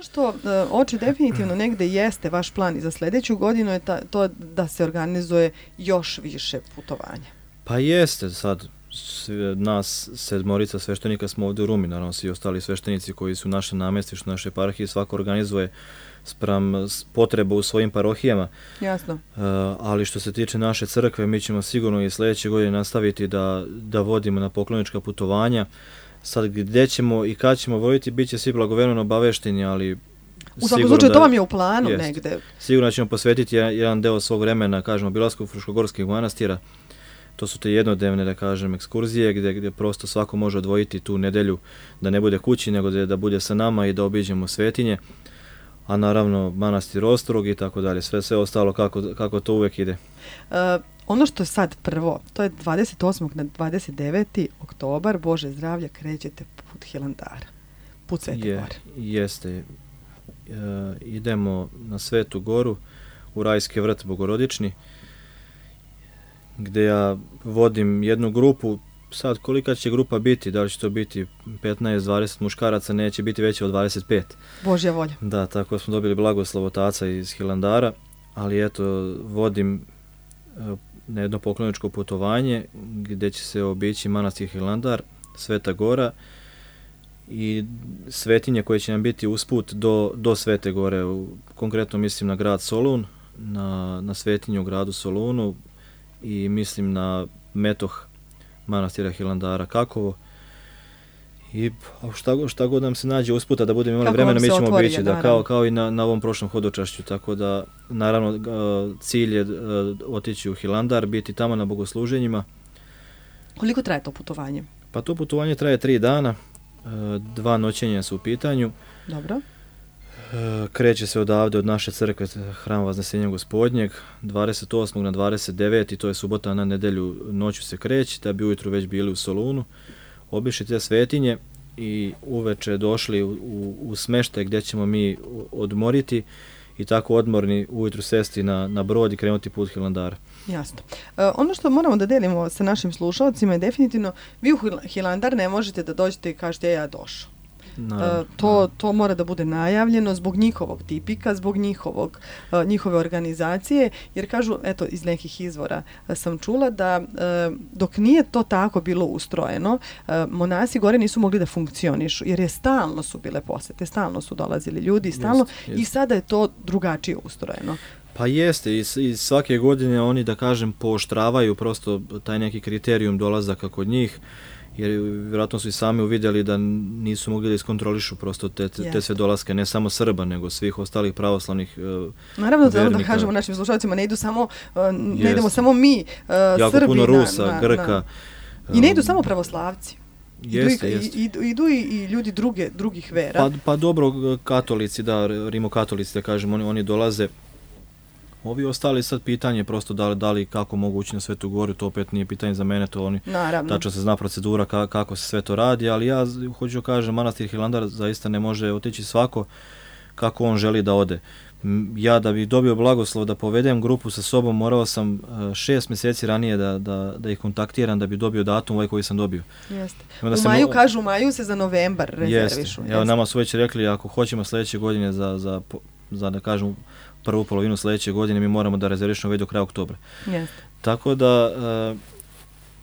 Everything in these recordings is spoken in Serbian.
što oči definitivno negde jeste vaš plan i za sljedeću godinu je to da se organizuje još više putovanja. Pa jeste, sad nas 7 sveštenika smo ovdje u Rumi, naravno svi ostali sveštenici koji su naše namjestište, naše eparhije, svako organizuje spram potreba u svojim parohijama. Jasno. Ali što se tiče naše crkve, mi ćemo sigurno i sljedeće godine nastaviti da vodimo na poklonička putovanja. Sad gdje ćemo i kad ćemo voditi, bit će svi blagovremeno obavešteni, ali u svakom slučaju to vam je u planu negde. Sigurno ćemo posvetiti jedan deo svog vremena, kažemo, obilasku fruškogorskih manastira. To su te jednodnevne, da kažem, ekskurzije gdje prosto svako može odvojiti tu nedelju da ne bude kući, nego da bude sa nama i da obiđemo svetinje. A naravno manastir Ostrog i tako dalje, sve ostalo kako to uvijek ide. Ono što je sad prvo, to je 28. na 29. oktobar, Bože zdravlja, krećete put Hilandara, put Svete Gore. Jeste. Idemo na Svetu Goru, u Rajski vrt Bogorodični, gdje ja vodim jednu grupu. Sad kolika će grupa biti, da li će to biti 15-20 muškaraca, neće biti veće od 25. Božja volja. Da, tako smo dobili blagoslov otaca iz Hilandara, ali eto, vodim na jedno pokloničko putovanje gdje će se obići manastir Hilandar, Sveta Gora i svetinje koje će nam biti usput do Svete Gore. Konkretno mislim na grad Solun, na svetinju u gradu Solunu i mislim na metoh manastira Hilandara Kakovo. I šta god nam se nađe usputa da budemo imali vremena, mi ćemo obići, kao i na ovom prošlom hodočašću. Tako da, naravno, cilj je otići u Hilandar, biti tamo na bogosluženjima. Koliko traje to putovanje? Pa to putovanje traje 3 dana, 2 noćenja su u pitanju. Dobro. Kreće se odavde od naše crkve, Hram Vaznesenja Gospodnjeg, 28. na 29. to je subota, na nedelju noću se kreće, da bi ujutru već bili u Solunu, obišli te svetinje i uveče došli u smeštaj gdje ćemo mi odmoriti i tako odmorni ujutru sesti na brod i krenuti put Hilandara. Jasno. Ono što moramo da delimo sa našim slušalcima je definitivno, vi u Hilandar ne možete da dođete i kažete ja došao. To mora da bude najavljeno zbog njihovog tipika, zbog njihove organizacije, jer kažu, eto, iz nekih izvora sam čula da dok nije to tako bilo ustrojeno, monasi gore nisu mogli da funkcionišu, jer stalno su bile posete, stalno su dolazili ljudi, stalno, i sada je to drugačije ustrojeno. Pa jeste, i svake godine oni, da kažem, pooštravaju prosto taj neki kriterijum dolazaka kod njih, jer vjerojatno su i sami uvidjeli da nisu mogli da iskontrolišu prosto te sve dolaske, ne samo Srba, nego svih ostalih pravoslavnih naravno, vernika. Da kažemo našim slušalcima, ne idemo samo mi, jako Srbi. Puno Rusa, Grka. I ne idu samo pravoslavci. Jeste. Idu i ljudi drugih vera. Pa dobro, katolici, rimokatolici, da kažemo, oni dolaze. Ovi ostali sad pitanje prosto da li kako mogu ući na Svetu Goru, to opet nije pitanje za mene, to oni tačno se zna procedura kako se sve to radi, ali ja hoću kažem, manastir Hilandar zaista ne može otići svako kako on želi da ode. Ja da bih dobio blagoslov da povedem grupu sa sobom, morao sam 6 mjeseci ranije da ih kontaktiram da bi dobio datum ovaj koji sam dobio. Jeste. U maju se za novembar rezervišu. Evo, nama su već rekli, ako hoćemo sljedeće godine za da kažem prvu polovinu sljedeće godine, mi moramo da rezervišemo već do kraja oktobra. Yes. Tako da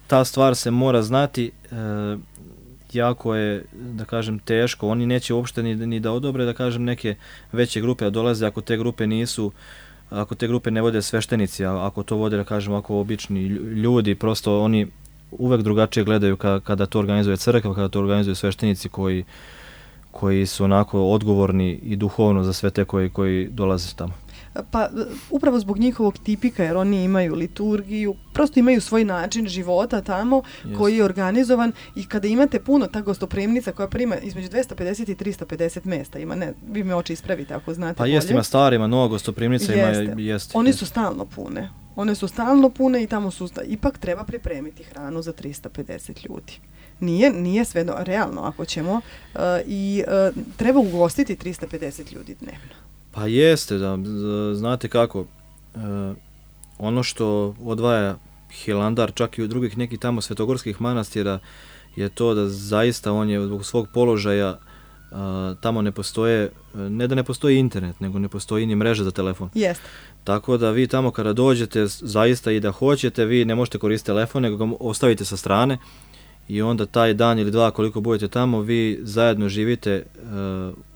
ta stvar se mora znati, jako je, da kažem, teško. Oni neće uopšte ni da odobre, da kažem, neke veće grupe da dolaze ako te grupe ne vode sveštenici, ako to vode, da kažem, ako obični ljudi, prosto oni uvek drugačije gledaju kada to organizuje crkva, kada to organizuju sveštenici koji su onako odgovorni i duhovno za sve te koji dolaze tamo. Pa upravo zbog njihovog tipika, jer oni imaju liturgiju, prosto imaju svoj način života tamo koji je organizovan, i kada imate puno ta gostoprimnica koja prima između 250 i 350 mjesta, vi me oči ispravite ako znate bolje. Pa jeste, ima starima, nova gostoprimnica jeste. One su stalno pune. One su stalno pune i tamo su ipak treba pripremiti hranu za 350 ljudi. Nije sve realno ako ćemo i treba ugostiti 350 ljudi dnevno. Pa jeste, znate kako, ono što odvaja Hilandar čak i od drugih nekih tamo svetogorskih manastira je to da zaista on je zbog svog položaja tamo ne postoje, ne da ne postoji internet, nego ne postoji ni mreža za telefon. Jeste. Tako da vi tamo kada dođete, zaista i da hoćete, vi ne možete koristiti telefon, nego ga ostavite sa strane i onda taj dan ili dva koliko budete tamo, vi zajedno živite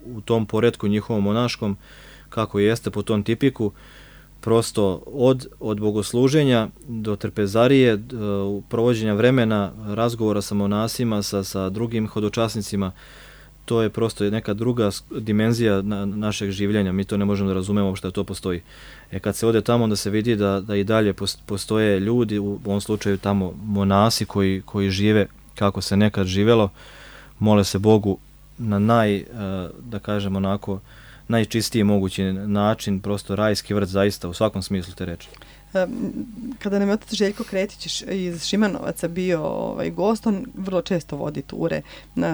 u tom poretku njihovom monaškom, kako jeste po tom tipiku, prosto od bogosluženja do trpezarije, do provođenja vremena, razgovora sa monasima, sa drugim hodočasnicima. To je prosto neka druga dimenzija našeg življenja. Mi to ne možemo da razumemo što to postoji. Kad se ode tamo, onda se vidi da i dalje postoje ljudi, u ovom slučaju tamo monasi koji žive kako se nekad živelo, mole se Bogu na da kažem onako, najčistiji mogući način, prosto rajski vrt zaista u svakom smislu te reči. Kada nam je otac Željko Kretić iz Šimanovaca bio gost, on vrlo često vodi ture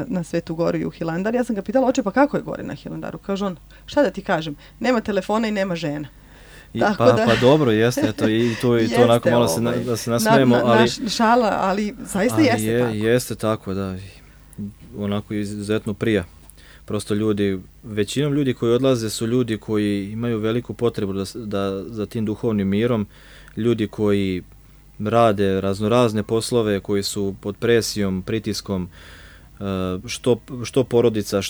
na Svetu Goru i u Hilandar. Ja sam ga pitala, oče, pa kako je gore na Hilandaru? Kaže on, šta da ti kažem, nema telefona i nema žena. Pa dobro, jeste, eto, i to onako malo da se nasmejemo, ali šala, ali zaista jeste tako. Jeste tako, da, onako izuzetno prija. Prosto većinom ljudi koji odlaze su ljudi koji imaju veliku potrebu za tim duhovnim mirom, ljudi koji rade raznorazne poslove, koji su pod presijom, pritiskom, što porodica,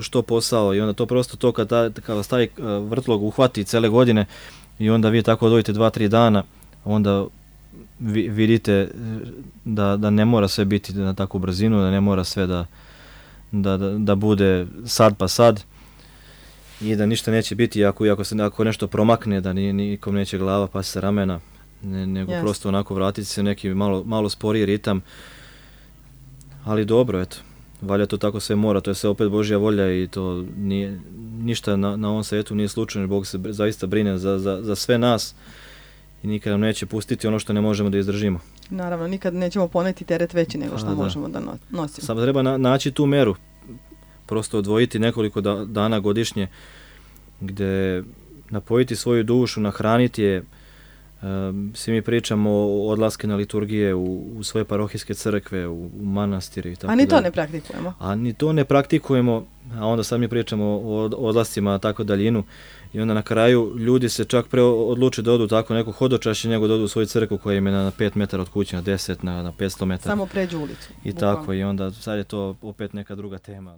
što posao, i onda to prosto kada vas taj vrtlog uhvati cele godine i onda vi tako odvojite 2-3 dana, onda vidite da ne mora sve biti na takvu brzinu, da ne mora sve da bude sad pa sad i da ništa neće biti ako nešto promakne, da nikom neće glava pa se ramena, nego prosto onako vratiti se u neki malo sporiji ritam. Ali dobro, eto, valja to tako sve mora, to je sve opet Božja volja i to nije, ništa na ovom svijetu nije slučajno, Bog se zaista brine za sve nas i nikad nam neće pustiti ono što ne možemo da izdržimo. Naravno, nikad nećemo poneti teret veći nego što možemo da nosimo. Samo treba naći tu meru, prosto odvojiti nekoliko dana godišnje gdje napojiti svoju dušu, nahraniti je. Svi mi pričamo o odlaske na liturgije u svoje parohijske crkve, u manastire i tako. A ni to ne praktikujemo. A onda sad mi pričamo o odlascima tako daljinu i onda na kraju ljudi se čak pre odluče da odu tako neko hodočašće nego da odu u svoju crkvu koja im je na 5 metara od kuće, na 10, na 500 metara. Samo pređu ulicu. I tako, i onda sad je to opet neka druga tema.